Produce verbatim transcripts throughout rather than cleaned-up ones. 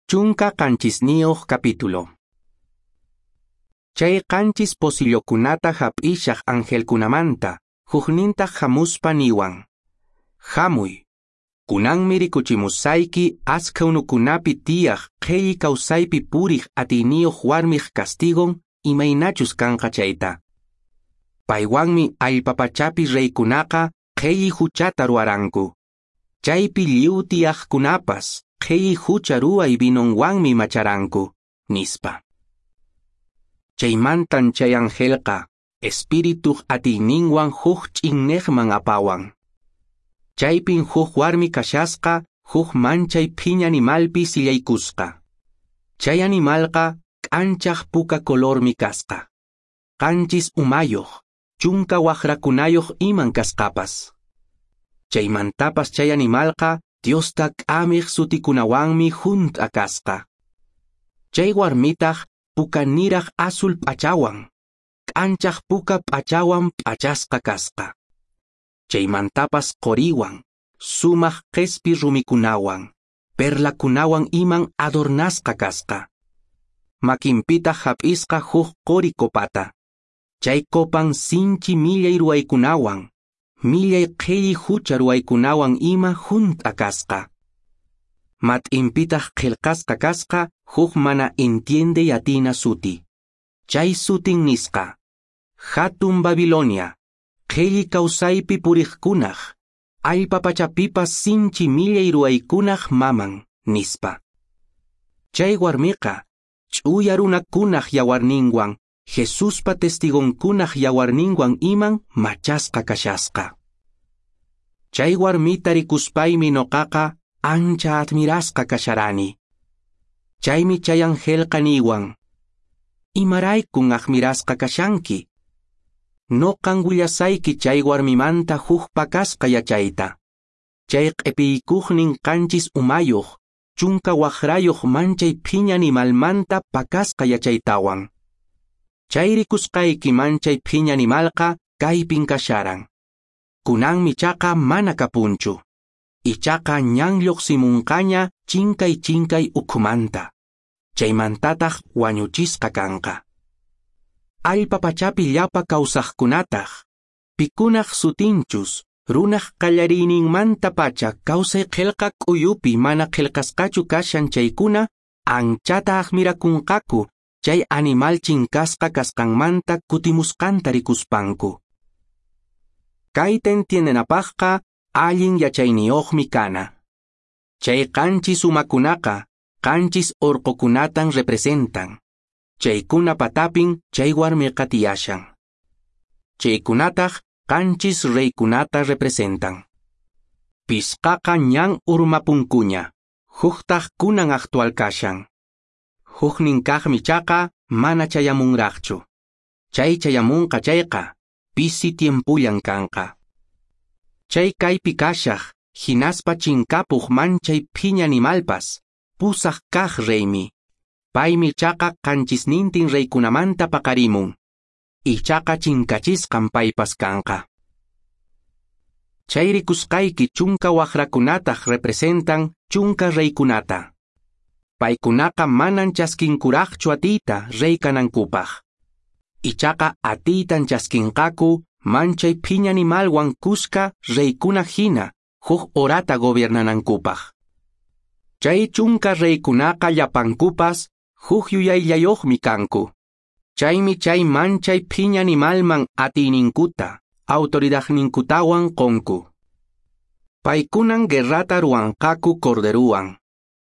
Chunka qanchisniyuq capítulo. Chay qanchis posillokunata hap'ishaq angelkunamanta, huknintaq hamuspa niwan: "Hamuy, kunanmi rikuchimusayki askha unukunapi tiyaq qhelli kawsaypi puriq atiyniyuq warmiq castigon imaynachus kanqa chayta. Paywanmi allpa pachapi reykunaqa qhelli huchata ruwaranku. Chaypi lliw tiyaqkunapas qhelli hucha ruway vinonwanmi macharanku", nispa. Chaymantan chay angelqa espirituq atiyninwan huk ch'inneqman apawan. Chaypin huk warmi kashasqa huk manchay phiña animalpi sillaykusqa. Chay animalqa k'anchaq puka colormi kasqa. Qanchis umayuq, chunka waqrakunayuq iman kasqapas. Chaymantapas chay animalqa Diosta k'amiq sutikunawanmi hunt'a kasqa. Chay warmitaq pukaniraq azul p'achawan, k'anchaq puka p'achawan p'achasqa kasqa. Chaymantapas qoriwan, sumaq qespi rumikunawan, perlakunawan iman adornasqa kasqa. Makinpitaq hap'isqa huk qori copata. Chay copan sinchi millay ruwaykunawan, millay qhelli hucha ruwaykunawan ima hunt'a kasqa. Mat'inpitaq qillqasqa kasqa huk mana entiendey atina suti. Chay sutin nisqa: "Hatun Babilonia, qhelli kawsaypi puriqkunaq, allpa pachapipas sinchi millay ruwaykunaq maman", nispa. Chay warmiqa ch'uya runakunaq yawarninwan, Jesuspa testigonkunaq yawarninwan iman machasqa kashasqa. Chay warmita rikuspaymi noqaqa ancha admirasqa kasharani. Chaymi chay angelqa niwan: "Imaraykun admirasqa kashanki? Noqan willasayki chay warmimanta huk pakasqa yachayta. Chay q'ipiykuqnin qanchis umayuq, chunka waqrayuq manchay phiña animalmanta pakasqa yachaytawan. Chay rikusqayki manchay phiña animalqa kaypin kasharan. Kunanmi chaqa mana kapunchu. Ichaqa ñan lluqsimunqaña chinkay chinkay ukhumanta. Chaymantataq wañuchisqa kanqa. Allpa pachapi llapa kawsaqkunataq, pikunaq sutinchus, runaq qallariyninmanta pacha kawsay qillqa k'uyupi mana qillqasqachu kashan chaykuna, anchata admirakunqaku chay animal chinkasqa kasqanmanta kutimusqanta rikuspanku. Kayta entiendenapaqqa allin yachayniyuqmi kana. Chay qanchis umakunaqa qanchis orqokunatan representan. Chaykuna patapin chay warmiqa tiyashan. Chaykunataq qanchis reykunata representan. Pisqaqa ñan urmapunkuña, huktaq kunan actual kashan. Huknin kaqmi chaqa mana chayamunraqchu. Chay chayamunqa chayqa, pisi tiempullan kanqa. Chay kaypi kashaq, hinaspa chinkapuq manchay phiña animalpas, pusaq kaq reymi. Paymi chaqa qanchisnintin reykunamanta paqarimun. Ichaqa chinkachisqan paypas kanqa. Chay rikusqayki chunka waqrakunataq representan chunka reykunata. Paykunaqa manan chaskinkuraqchu atiyta rey kanankupaq. Ichaqa atiytan chaskinqaku manchay phiña animalwan kuska reykuna hina huk horata gobiernanankupaq. Chay chunka reykunaqa llapankupas huk yuyayllayuqmi kanku. Chaymi chay manchay phiña animalman atiyninkuta, autoridadninkutawan qonku. Paykunan guerrata ruwanqaku corderuwan.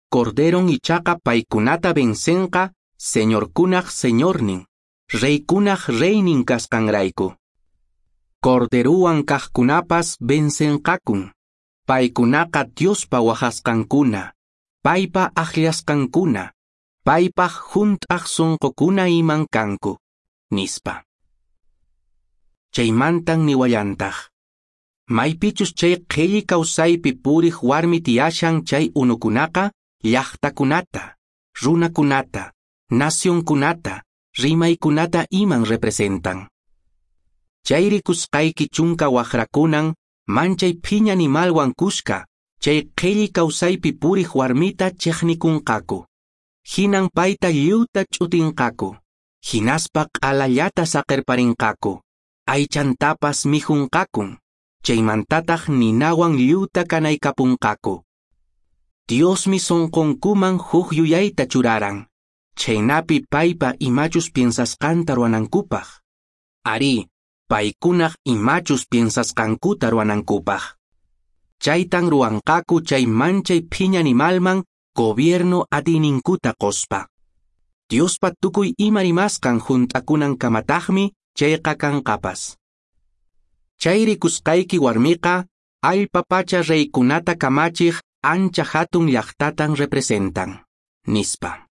Corderon ichaqa paykunata vencenqa señorkunaq señornin, reykunaq reynin kasqanrayku. Corderuwan kaqkunapas vencenqakun. Paykunaqa Diospa wajasqankuna, paypa akllasqankuna, paypaq hunt'aq sunqukuna iman kanku", nispa. Chaymantan niwallantaq: "Maypichus chay qhelli kawsaypi puriq warmi tiyashan chay unukunaqa llaqtakunata, runakunata, nacionkunata, rimaykunata iman representan. Chay rikusqayki chunka waqrakunan manchay phiña animalwan kuska chay qhelli kawsaypi puriq warmita chiqnikunqaku. Hinan payta lliwta ch'utinqaku, hinaspa q'alallata saqerparinqaku, aychantapas mikhunqakun, chaymantataq ninawan lliwta kanaykapunqaku. Diosmi sonqonkuman huk yuyayta churaran, chhaynapi paypa imachus piensasqanta ruwanankupaq. Arí, paykunaq imachus piensasqankuta ruwanankupaq. Chaytan ruwanqaku chay manchay phiña animalman gobierno atiyninkuta qospa. Diospa tukuy ima rimasqan hunt'akunankamataqmi chayqa kanqapas. Chay rikusqayki warmiqa allpa pacha reykunata kamachiq ancha hatun llaqtatan representan, nispa.